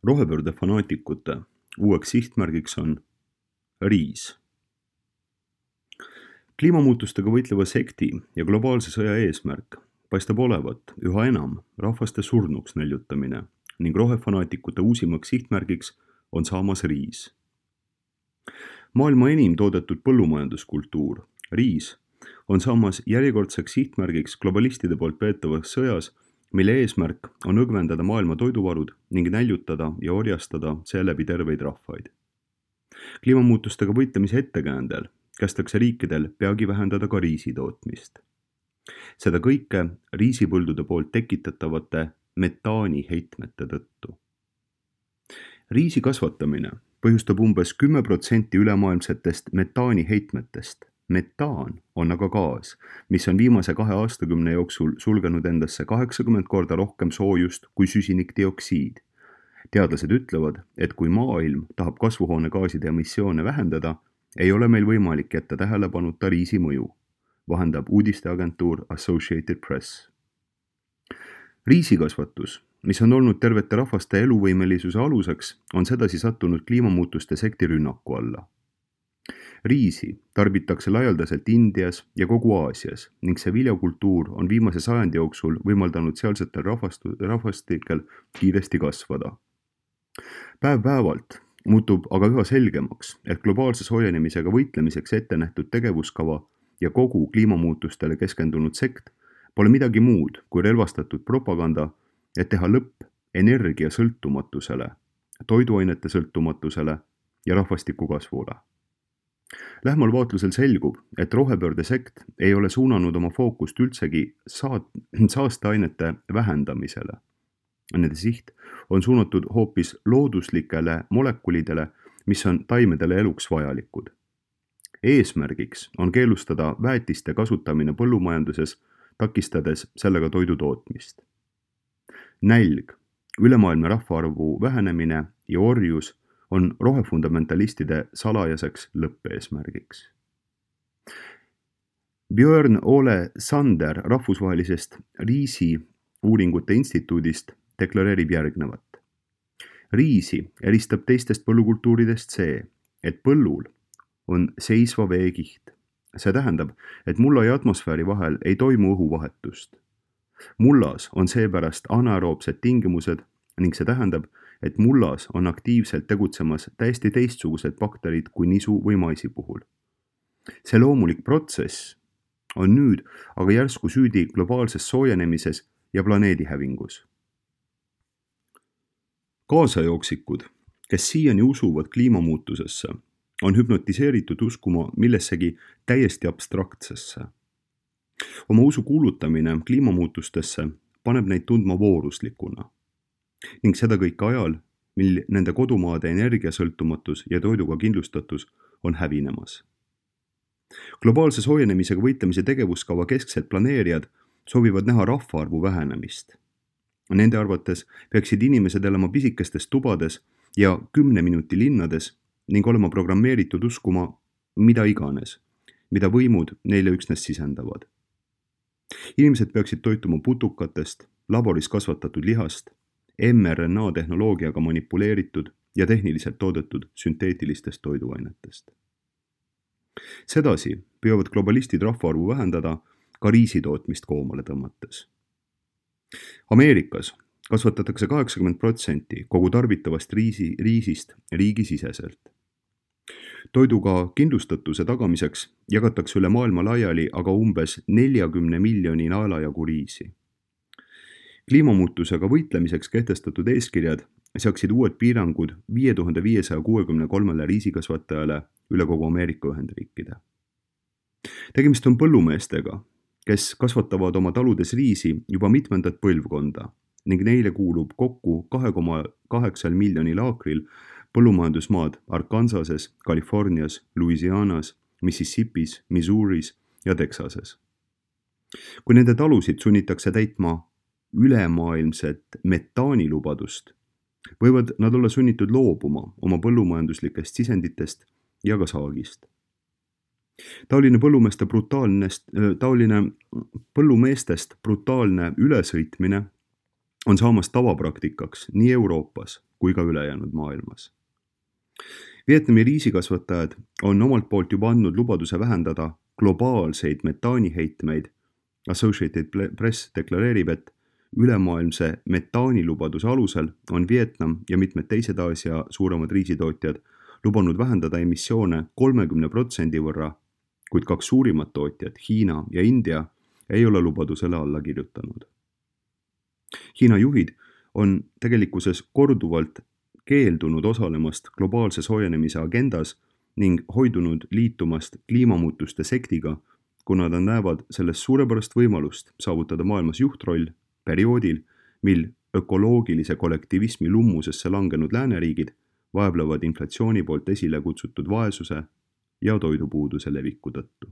Rohepöörde fanaatikute uueks sihtmärgiks on riis. Kliimamuutustega võitleva sekti ja globaalse sõja eesmärk paistab olevat üha enam rahvaste surnuks näljutamine ning rohefanaatikute uusimaks sihtmärgiks on saamas riis. Maailma enim toodetud põllumajanduskultuur, riis, on saamas järjekordseks sihtmärgiks globalistide poolt peetavas sõjas, mille eesmärk on õgvendada maailma toiduvarud ning näljutada ja orjastada seeläbi terveid rahvaid. Kliimamuutustega võitlemise ettekäändel kästakse riikidel peagi vähendada ka riisi tootmist. Seda kõike riisipõldude poolt tekitatavate metaaniheitmete tõttu. Riisi kasvatamine põhjustab umbes 10% ülemaailmsetest metaaniheitmetest. Metaan on aga gaas, mis on viimase 2 aastakümne jooksul sulgenud endasse 80 korda rohkem soojust kui süsinikdioksiid. Teadlased ütlevad, et kui maailm tahab kasvuhoonegaaside emissioone vähendada, ei ole meil võimalik jätta tähelepanuta riisi mõju, vahendab uudisteagentuur Associated Press. Riisikasvatus, mis on olnud tervete rahvaste eluvõimelisuse aluseks, on sedasi sattunud kliimamuutuste sekti rünnaku alla. Riisi tarbitakse laialdaselt Indias ja kogu Aasias ning see viljakultuur on viimase sajandi jooksul võimaldanud sealsetel rahvastikel kiiresti kasvada. Päev-päevalt muutub aga üha selgemaks, et globaalse soojenemisega võitlemiseks ette nähtud tegevuskava ja kogu kliimamuutustele keskendunud sekt pole midagi muud kui relvastatud propaganda, et teha lõpp energiasõltumatusele, toiduainete sõltumatusele ja rahvastiku kasvule. Lähmal vaatlusel selgub, et rohepöörde sekt ei ole suunanud oma fookust üldsegi saasteainete vähendamisele. Nende siht on suunatud hoopis looduslikele molekulidele, mis on taimedele eluks vajalikud. Eesmärgiks on keelustada väetiste kasutamine põllumajanduses, takistades sellega toidu tootmist. Nälg, ülemaailmne rahvaarvu vähenemine ja orjus on rohefundamentalistide salajaseks lõppeesmärgiks. Björn Ole Sander rahvusvahelisest riisi uuringute instituudist deklareerib järgnevat. Riisi eristab teistest põllukultuuridest see, et põllul on seisva veekiht. See tähendab, et mulla ja atmosfääri vahel ei toimu õhuvahetust. Mullas on seepärast anaeroobsed tingimused ning see tähendab, et mullas on aktiivselt tegutsemas täiesti teistsugused bakterid kui nisu või maisi puhul. See loomulik protsess on nüüd aga järsku süüdi globaalses soojenemises ja planeedi hävingus. Kaasajooksikud, kes siiani usuvad kliimamuutusesse, on hüpnotiseeritud uskuma millessegi täiesti abstraktsesse. Oma usu kuulutamine kliimamuutustesse paneb neid tundma vooruslikuna. Ning seda kõik ajal, mil nende kodumaade energiasõltumatus ja toiduga kindlustatus on hävinemas. Globaalse soojenemisega võitlemise tegevuskava kesksed planeerijad soovivad näha rahvaarvu vähenemist. Nende arvates peaksid inimesed elama pisikestes tubades ja 10 minuti linnades ning olema programmeeritud uskuma mida iganes, mida võimud neile üksnes sisendavad. Inimesed peaksid toituma putukatest, laboris kasvatatud lihast, mRNA-tehnoloogiaga manipuleeritud ja tehniliselt toodetud sünteetilistest toiduainetest. Sedasi püüavad globalistid rahvaarvu vähendada ka riisitootmist koomale tõmmates. Ameerikas kasvatatakse 80% kogu tarbitavast riisist riigisiseselt. Toiduga kindlustatuse tagamiseks jagatakse üle maailma laiali aga umbes 40 miljoni naelajagu riisi. Kliimamuutusega võitlemiseks kehtestatud eeskirjad seaksid uued piirangud 5563 riisikasvatajale üle kogu Ameerika Ühendriikide. Tegemist on põllumeestega, kes kasvatavad oma taludes riisi juba mitmendat põlvkonda ning neile kuulub kokku 2,8 miljonil aakril põllumajandusmaad Arkansases, Californias, Louisianas, Mississippis, Missouris ja Texases. Kui nende talusid sunnitakse täitma ülemaailmset metaanilubadust, võivad nad olla sunnitud loobuma oma põllumajanduslikest sisenditest ja ka saagist. Taoline põllumeestest brutaalne ülesõitmine on saamas tavapraktikaks nii Euroopas kui ka ülejäänud maailmas. Vietnami riisikasvatajad on omalt poolt juba andnud lubaduse vähendada globaalseid metaaniheitmeid. Associated Press deklareerib, et ülemaailmse metaanilubaduse alusel on Vietnam ja mitmed teised Aasia suuremad riisitootjad lubanud vähendada emissioone 30% võrra, kuid 2 suurimat tootjat, Hiina ja India, ei ole lubadusele alla kirjutanud. Hiina juhid on tegelikkuses korduvalt keeldunud osalemast globaalse soojenemise agendas ning hoidunud liitumast kliimamuutuste sektiga, kuna nad näevad sellest suurepärast võimalust saavutada maailmas juhtroll perioodil, mil ökoloogilise kollektivismi lummusesse langenud lääneriigid vaevlevad inflatsiooni poolt esile kutsutud vaesuse ja toidupuuduse leviku tõttu.